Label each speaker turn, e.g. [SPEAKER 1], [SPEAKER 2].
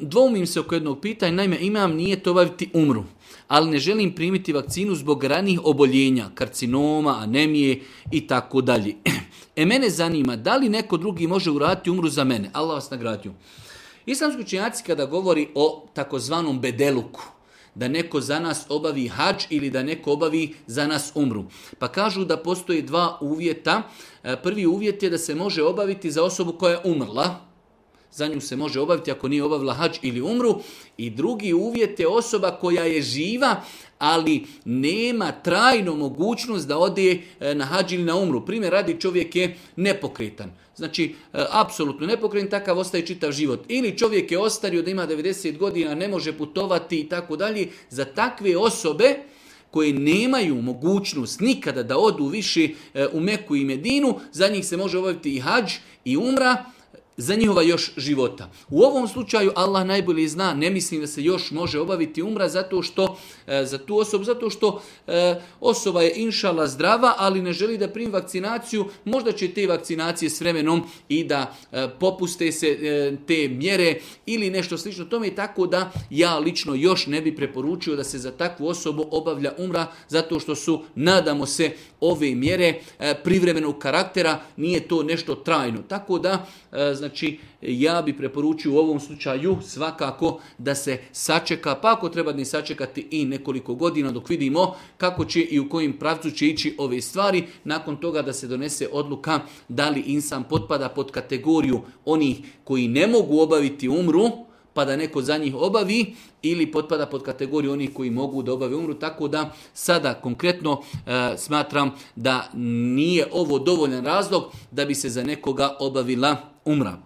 [SPEAKER 1] Dvoumim se oko jednog pitanja, naime imam nijet obaviti umru, ali ne želim primiti vakcinu zbog ranijih oboljenja, karcinoma, anemije i tako dalje. Mene zanima da li neko drugi može uraditi umru za mene. Allah vas nagradio. Islamski učenjaci kada govori o takozvanom bedeluku, da neko za nas obavi hadž ili da neko obavi za nas umru. Pa kažu da postoje dva uvjeta. Prvi uvjet je da se može obaviti za osobu koja je umrla. Za nju se može obaviti ako nije obavila hadž ili umru. I drugi uvjet je osoba koja je živa, ali nema trajnu mogućnost da ode na hadž ili na umru. Primjer radi, čovjek je nepokretan. Znači, apsolutno nepokretan, takav ostaje čitav život. Ili čovjek je ostario da ima 90 godina, ne može putovati i tako dalje. Za takve osobe koje nemaju mogućnost nikada da odu više u Meku i Medinu, za njih se može obaviti i hadž i umra, za njihova još života. U ovom slučaju Allah najbolje zna, ne mislim da se još može obaviti umra zato što za tu osobu, zato što osoba je inšala zdrava, ali ne želi da primi vakcinaciju, možda će te vakcinacije s vremenom i da popuste se te mjere ili nešto slično tome, tako da ja lično još ne bi preporučio da se za takvu osobu obavlja umra, zato što su, nadamo se, ove mjere privremenog karaktera, nije to nešto trajno. Tako da, znači, ja bi preporučio u ovom slučaju svakako da se sačeka, pa ako treba ni sačekati i nekoliko godina dok vidimo kako će i u kojim pravcu će ići ove stvari, nakon toga da se donese odluka da li insan potpada pod kategoriju onih koji ne mogu obaviti umru, pa da neko za njih obavi, ili potpada pod kategoriju onih koji mogu da obave umru. Tako da sada konkretno smatram da nije ovo dovoljan razlog da bi se za nekoga obavila umra.